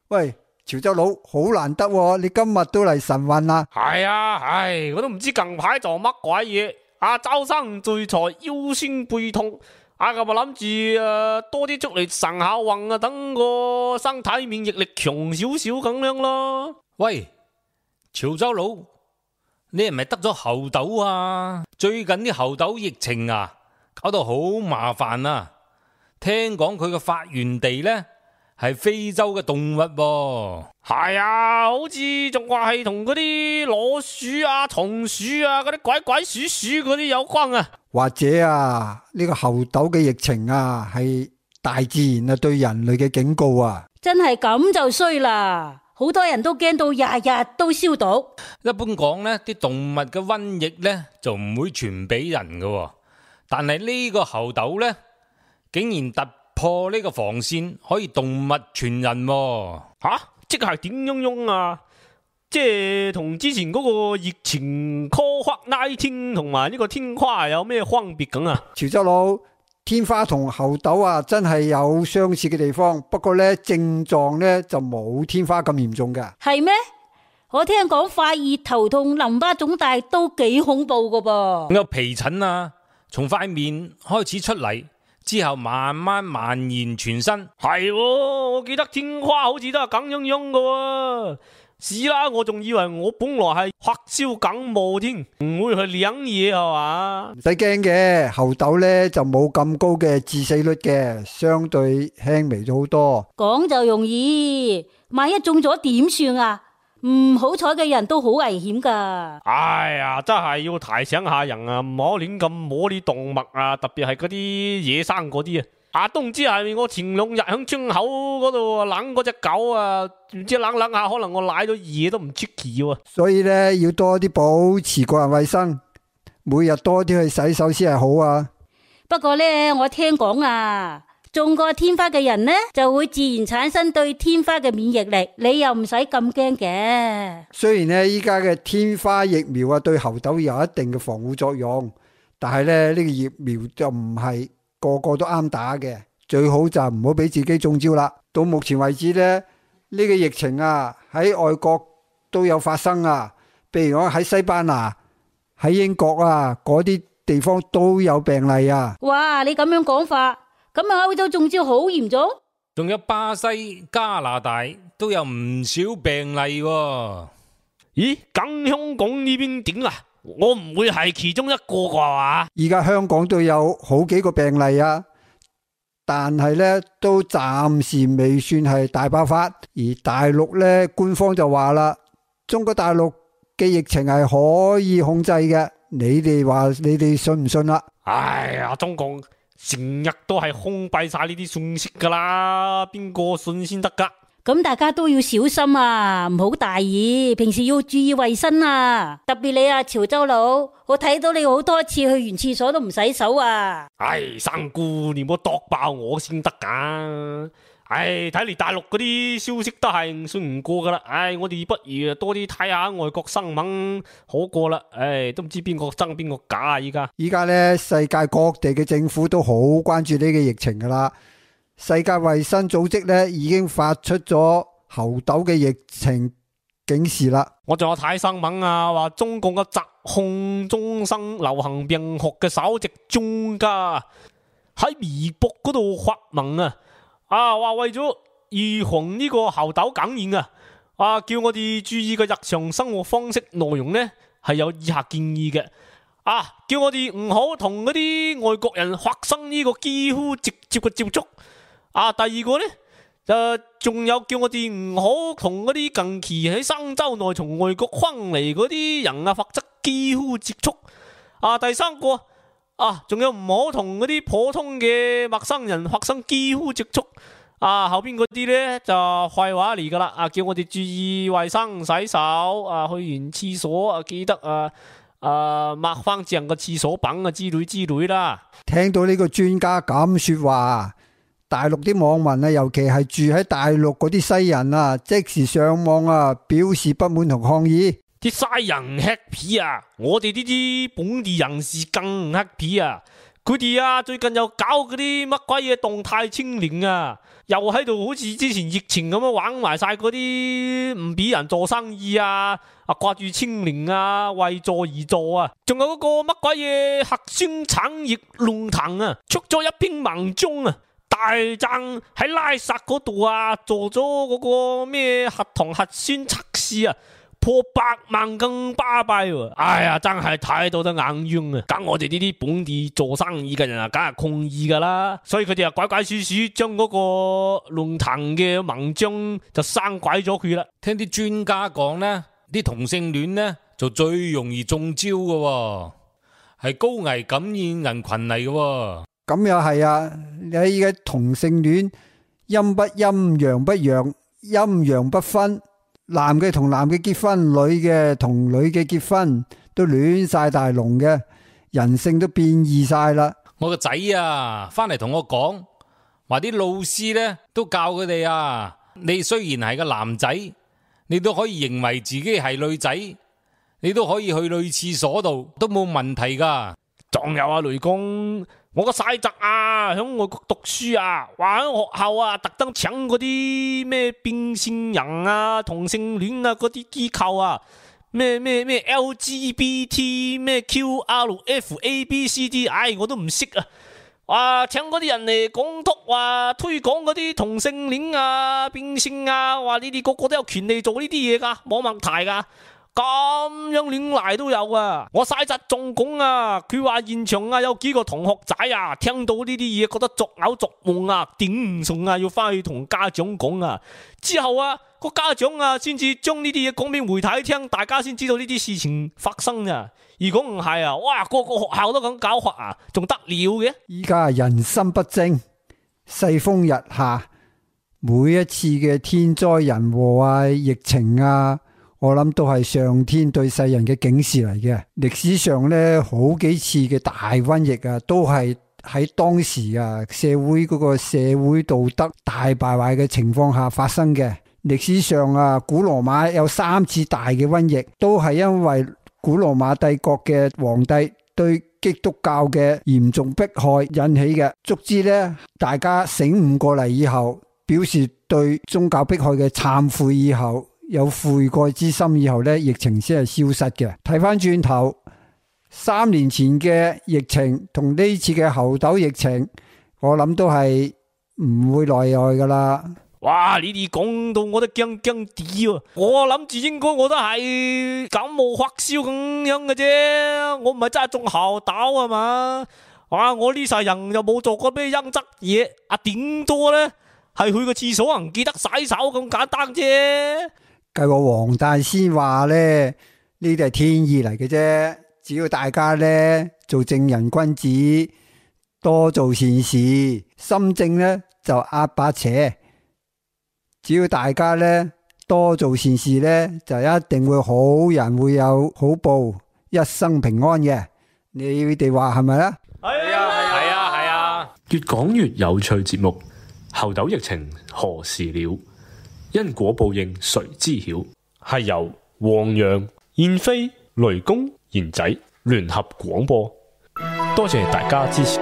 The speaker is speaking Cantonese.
喂，潮州佬好難得喎，你今日都嚟晨運啊？係啊，我都唔知近排做乜鬼嘢。周身聚財，腰酸背痛。咁啊諗住多啲出嚟晨下運啊，等個身體免疫力強少少咁樣咯。喂，潮州佬，你係咪得咗猴痘啊？最近啲猴痘疫情啊，搞到好麻煩啊！聽講佢嘅發源地呢係非洲嘅動物喎。係啊，好似仲話係同嗰啲老鼠啊、松鼠啊、嗰啲鬼鬼鼠鼠嗰啲有關啊。或者啊，呢個猴痘嘅疫情啊，係大自然啊對人類嘅警告啊。真係咁就衰啦，好多人都驚到日日都消毒。一般講呢啲動物嘅瘟疫呢就唔會傳俾人嘅，但係呢個猴痘呢竟然突破呢個防線，可以動物傳人喎。即係點樣啊？即係同之前嗰個疫情 COVID-19 同埋呢個天花有咩分別咁啊？潮州佬，天花同猴痘啊真係有相似嘅地方，不過呢症狀呢就冇天花咁嚴重嘅。係咩？我聽講發熱、頭痛、淋巴腫大都幾恐怖噶噃。有皮疹啊，從塊面開始出嚟，之後慢慢蔓延全身。係，我記得天花好似都係咁樣噶。是啦，我仲以為我本來係發燒感冒添，唔會去領嘢係嘛？唔使驚嘅，猴痘呢就冇咁高嘅致死率嘅，相對輕微咗好多。講就容易，萬一中咗點算啊？唔好彩嘅人都好危險噶。哎呀，真係要提醒下人啊，唔好亂咁摸啲動物啊，特別係嗰啲野生嗰啲啊。都唔知係咪我前2日喺村口嗰度攬嗰隻狗啊，唔知攬下，可能我舐到嘢都唔出奇喎。所以呢，要多啲保持個人衛生，每日多啲去洗手先係好啊。不過呢，我聽講啊，中過天花嘅人呢，就會自然產生對天花嘅免疫力，你又唔使咁驚嘅。雖然呢，依家嘅天花疫苗啊，對猴痘有一定嘅防護作用，但係呢，呢個疫苗就唔係個個都啱打嘅，最好就唔好俾自己中招啦。到目前為止呢，呢個疫情啊喺外國都有發生啊，譬如講喺西班牙、喺英國啊嗰啲地方都有病例啊。哇，你咁樣講法，咁啊歐洲中招好嚴重？仲有巴西、加拿大都有唔少病例喎。咦，咁香港呢邊點啊？我唔會係其中一個啩嘛？而家香港都有好幾個病例啊，但係呢都暫時未算係大爆發。而大陸呢，官方就話啦，中國大陸嘅疫情係可以控制嘅。你哋話你哋信唔信啦？哎呀，中共成日都係封閉晒呢啲信息噶啦，邊個信先得噶？咁大家都要小心啊，唔好大意，平時要注意衛生啊。特別你啊，潮州佬，我睇到你好多次去完廁所都唔洗手啊。三姑你唔好剁爆我先得噶。睇嚟大陸嗰啲消息都係信唔過噶啦。我哋不如多啲睇下外國新聞好過啦。都唔知邊個真邊個假啊！依家呢，世界各地嘅政府都好關注呢個疫情噶啦。世界衛生組織呢已經發出咗猴痘嘅疫情警示啦。我仲有睇新聞啊，話中共嘅疾控中心流行病學嘅首席專家喺微博嗰度發文啊，話為咗預防呢個猴痘感染叫我哋注意嘅日常生活方式內容呢係有以下建議嘅。叫我哋唔好同嗰啲外國人發生呢個幾乎直接嘅接觸。第二個呢，仲有叫我哋唔好同嗰啲近期喺生州內從外國翻嚟嗰啲人發生幾乎接觸。第三個仲有唔好同嗰啲普通嘅陌生人發生幾乎接觸。後邊嗰啲呢就廢話嚟噶啦。叫我哋注意衛生、洗手。去完廁所記得抹翻正個廁所板之類啦。聽到呢個專家咁說話，大陸啲網民啊，尤其係住喺大陸嗰啲西人啊，即時上網表示不滿同抗議。啲西人 happy 我哋呢啲本地人士更 happy。佢哋啊最近又搞嗰啲乜鬼嘢動態清零啊，又喺度好似之前疫情咁樣玩埋晒嗰啲唔俾人做生意啊，掛住清零啊，為做而做啊，仲有嗰個乜鬼嘢核酸產業論壇啊，出咗一篇文章啊，大讚喺拉薩嗰度啊做咗嗰個咩核糖核酸測試啊，破100萬更巴閉喎！哎呀，真係睇到得眼冤啊！咁我哋呢啲本地做生意嘅人啊，梗係抗議噶啦，所以佢哋啊鬼鬼祟祟將嗰個論壇嘅文章就刪鬼咗佢啦。聽啲專家講呢，啲同性戀呢就最容易中招嘅喎，係高危感染人群嚟嘅喎。咁又係啊！你嘅同性戀陰不陰陽不陽，陰陽不分，男嘅同男嘅結婚，女嘅同女嘅結婚，都亂晒大龍嘅，人性都變異晒啦。我個仔啊，翻嚟同我講，話啲老師呢都教佢哋啊，你雖然係個男仔，你都可以認為自己係女仔，你都可以去女廁所度，都冇問題噶。仲有啊，雷公，我個細侄啊，響外國讀書啊，話喺學校啊，特登請嗰啲咩變性人啊、同性戀啊嗰啲機構啊，咩 LGBT 咩 QRFABCD，我都唔識啊。話請嗰啲人嚟講督，話推廣嗰啲同性戀啊、變性啊，話你哋個個都有權利做呢啲嘢噶，冇問題噶。咁樣亂嚟都有啊！我細侄仲講啊，佢話現場啊有幾個同學仔啊，聽到呢啲嘢覺得作嘔作悶啊，頂唔順啊，要翻去同家長講啊。之後啊，個家長啊先至將呢啲嘢講俾媒體聽，大家先知道呢啲事情發生啊。如果唔係啊，哇，個個學校都咁搞法啊，仲得了嘅？依家人心不正，世風日下，每一次嘅天災人禍啊、疫情啊，我諗都係上天對世人嘅警示嚟嘅。歷史上呢，好幾次嘅大瘟疫啊，都係喺當時啊社會嗰個社會道德大敗壞嘅情況下發生嘅。歷史上啊，古羅馬有3次大嘅瘟疫，都係因為古羅馬帝國嘅皇帝對基督教嘅嚴重迫害引起嘅。足之呢，大家醒悟過嚟以後，表示對宗教迫害嘅懺悔以後，有悔改之心以後呢，疫情先係消失嘅。睇翻轉頭，3年前嘅疫情同呢次嘅猴痘疫情，我諗都係唔會例外噶啦。哇！你哋講到我都驚驚地喎，我諗住應該我都係感冒發燒咁樣嘅啫，我唔係真係中猴痘啊嘛。哇！我呢世人又冇做過咩陰質嘢，頂多呢係去個廁所唔記得洗手咁簡單啫。計我黃大仙話呢，呢啲係天意嚟嘅啫。只要大家呢做正人君子，多做善事，心正呢就壓把邪。只要大家呢多做善事呢，就一定會好人會有好報，一生平安嘅。你哋話係咪啊？係啊！越講越有趣節目，猴痘疫情何時了？因果報應誰知曉？係由黃洋、燕飛、雷公、賢仔聯合廣播，多謝大家支持。